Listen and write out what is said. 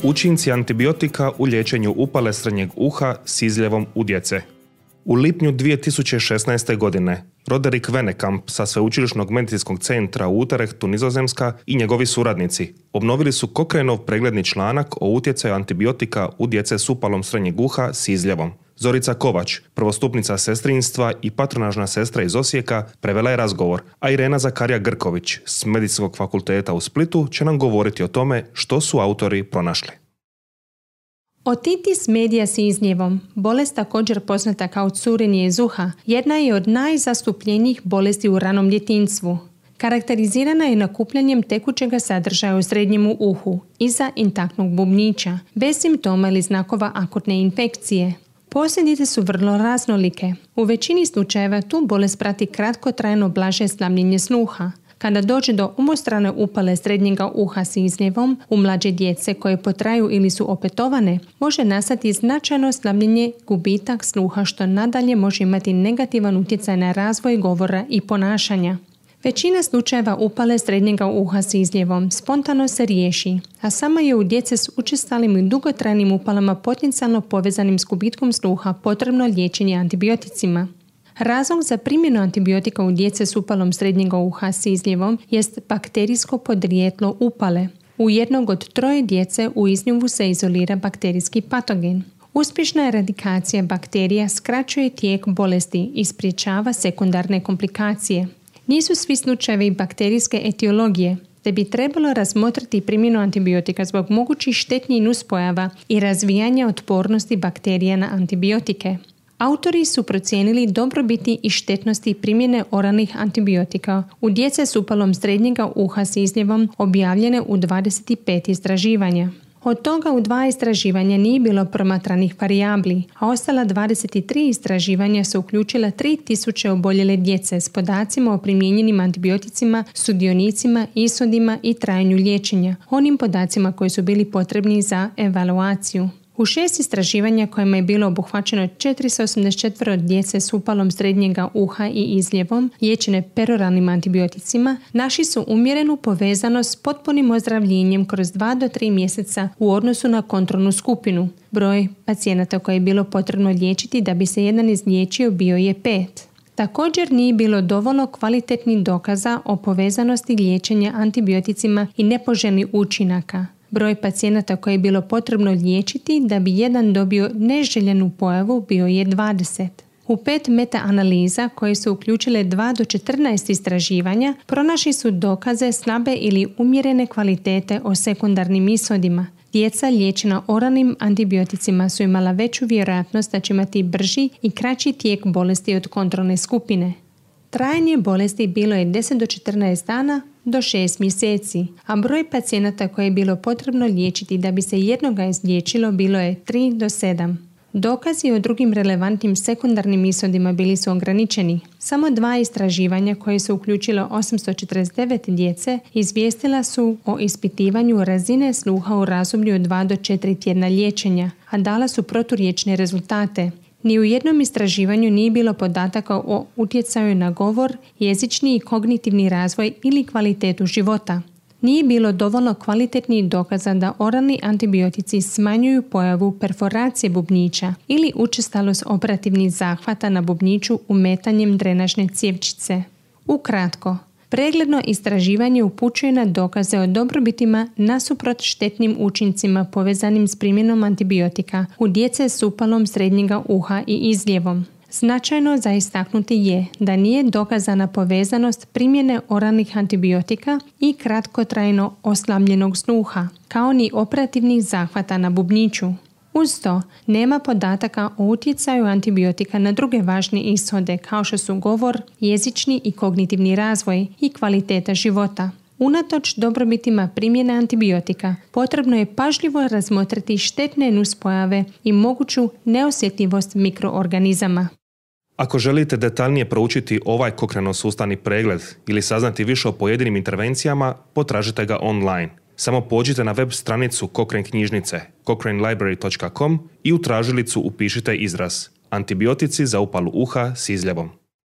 Učinci antibiotika u liječenju upale srednjeg uha s izljevom u djece. U lipnju 2016. godine Roderick Venekamp sa Sveučilišnog medicinskog centra u Utrechtu, Nizozemska, i njegovi suradnici obnovili su Cochraneov pregledni članak o utjecaju antibiotika u djece s upalom srednjeg uha s izljevom. Zorica Kovač, prvostupnica sestrinstva i patronažna sestra iz Osijeka, prevela je razgovor, a Irena Zakarija Grković s Medicinskog fakulteta u Splitu će nam govoriti o tome što su autori pronašli. Otitis media s izljevom, bolest također poznata kao curenje iz uha, jedna je od najzastupljenijih bolesti u ranom djetinjstvu. Karakterizirana je nakupljanjem tekućega sadržaja u srednjem uhu, iza intaktnog bubnjića, bez simptoma ili znakova akutne infekcije. Posljedice su vrlo raznolike. U većini slučajeva tu bolest prati kratkotrajno blaže slabljenje sluha. Kada dođe do umostrane upale srednjega uha s izljevom u mlađe djece koje potraju ili su opetovane, može nastati značajno slabljenje, gubitak sluha, što nadalje može imati negativan utjecaj na razvoj govora i ponašanja. Većina slučajeva upale srednjega uha s izljevom spontano se riješi, a samo je u djece s učestalim i dugotrajnim upalama potencijalno povezanim s gubitkom sluha potrebno liječenje antibioticima. Razlog za primjenu antibiotika u djece s upalom srednjega uha s izljevom jest bakterijsko podrijetlo upale. U jednog od 3 djece u izljevu se izolira bakterijski patogen. Uspješna eradikacija bakterija skraćuje tijek bolesti i sprječava sekundarne komplikacije. Nisu svi slučajevi bakterijske etiologije, te bi trebalo razmotriti primjenu antibiotika zbog mogućih štetnih nuspojava i razvijanja otpornosti bakterija na antibiotike. Autori su procijenili dobrobiti i štetnosti primjene oralnih antibiotika u djece s upalom srednjega uha s izljevom, objavljene u 25 istraživanja. Od toga u 2 istraživanja nije bilo promatranih varijabli, a ostala 23 istraživanja su uključila 3000 oboljele djece s podacima o primijenjenim antibioticima, sudionicima, ishodima i trajanju liječenja, onim podacima koji su bili potrebni za evaluaciju. U 6 istraživanja kojima je bilo obuhvaćeno 484 djece s upalom srednjega uha i izljevom, liječene peroralnim antibioticima, našli su umjerenu povezanost s potpunim ozdravljenjem kroz 2 do 3 mjeseca u odnosu na kontrolnu skupinu. Broj pacijenata koje je bilo potrebno liječiti da bi se jedan izliječio bio je 5. Također nije bilo dovoljno kvalitetnih dokaza o povezanosti liječenja antibioticima i nepoželjnih učinaka. Broj pacijenata koje je bilo potrebno liječiti da bi jedan dobio neželjenu pojavu bio je 20. U 5 meta-analiza koje su uključile 2 do 14 istraživanja, pronašli su dokaze slabe ili umjerene kvalitete o sekundarnim ishodima. Djeca liječena oralnim antibioticima su imala veću vjerojatnost da će imati brži i kraći tijek bolesti od kontrolne skupine. Trajanje bolesti bilo je 10 do 14 dana do 6 mjeseci, a broj pacijenata koje je bilo potrebno liječiti da bi se jednoga izliječilo bilo je 3 do 7. Dokazi o drugim relevantnim sekundarnim ishodima bili su ograničeni. Samo 2 istraživanja koje su uključilo 849 djece izvijestila su o ispitivanju razine sluha u razdoblju od 2 do 4 tjedna liječenja, a dala su proturječne rezultate. Ni u jednom istraživanju nije bilo podataka o utjecaju na govor, jezični i kognitivni razvoj ili kvalitetu života. Nije bilo dovoljno kvalitetnih dokaza da oralni antibiotici smanjuju pojavu perforacije bubnjića ili učestalost operativnih zahvata na bubnjiću umetanjem drenažne cjevčice. Ukratko, pregledno istraživanje upućuje na dokaze o dobrobitima nasuprot štetnim učincima povezanim s primjenom antibiotika u djece s upalom srednjega uha i izljevom. Značajno za istaknuti je da nije dokazana povezanost primjene oralnih antibiotika i kratkotrajno oslabljenog sluha, kao ni operativnih zahvata na bubnjiću. Uz to, nema podataka o utjecaju antibiotika na druge važne ishode kao što su govor, jezični i kognitivni razvoj i kvaliteta života. Unatoč dobrobitima primjene antibiotika, potrebno je pažljivo razmotriti štetne nuspojave i moguću neosjetljivost mikroorganizama. Ako želite detaljnije proučiti ovaj Cochraneov sustavni pregled ili saznati više o pojedinim intervencijama, potražite ga online. Samo pođite na web stranicu Cochrane knjižnice cochranelibrary.com i u tražilicu upišite izraz antibiotici za upalu uha s izljevom.